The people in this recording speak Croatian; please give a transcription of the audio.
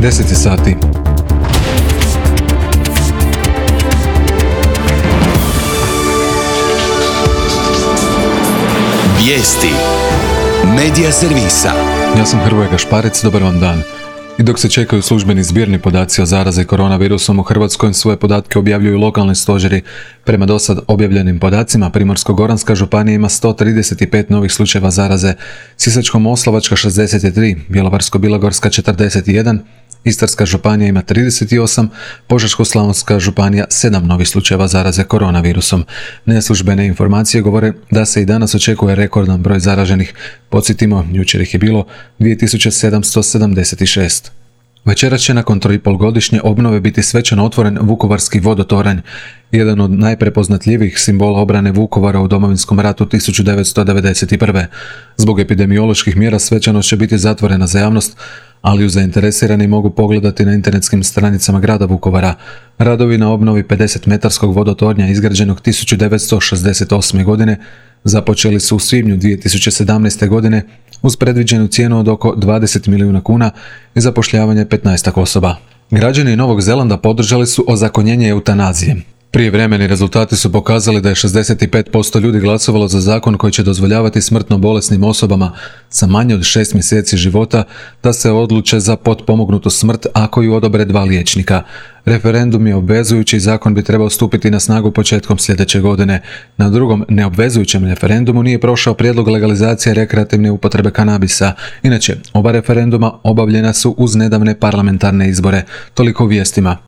10 sati. Vijesti Medija servisa. Ja sam Hrvoje Gašparec, dobar vam dan. I dok se čekaju službeni zbirni podaci o zarazi koronavirusom u Hrvatskoj, svoje podatke objavljuju lokalni stožeri. Prema dosad objavljenim podacima, Primorsko-goranska županija ima 135 novih slučajeva zaraze, Sisačko-moslavačka 63, Bjelovarsko-bilogorska 41, Istarska županija ima 38, Požeško-slavonska županija 7 novih slučajeva zaraze koronavirusom. Neslužbene informacije govore da se i danas očekuje rekordan broj zaraženih. Podsjetimo, jučer ih je bilo 2776. Večeras će nakon 3,5-godišnje obnove biti svečano otvoren Vukovarski vodotoranj, jedan od najprepoznatljivijih simbola obrane Vukovara u Domovinskom ratu 1991. Zbog epidemioloških mjera svečanost će biti zatvorena za javnost, ali ju zainteresirani mogu pogledati na internetskim stranicama grada Vukovara. Radovi na obnovi 50-metarskog vodotornja izgrađenog 1968. godine započeli su u svibnju 2017. godine uz predviđenu cijenu od oko 20 milijuna kuna i zapošljavanje 15 osoba. Građani Novog Zelanda podržali su ozakonjenje eutanazije. Prijevremeni rezultati su pokazali da je 65% ljudi glasovalo za zakon koji će dozvoljavati smrtno bolesnim osobama sa manje od 6 mjeseci života da se odluče za potpomognutu smrt ako ju odobre 2 liječnika. Referendum je obvezujući i zakon bi trebao stupiti na snagu početkom sljedeće godine. Na drugom neobvezujućem referendumu nije prošao prijedlog legalizacije rekreativne upotrebe kanabisa. Inače, oba referenduma obavljena su uz nedavne parlamentarne izbore. Toliko u vijestima.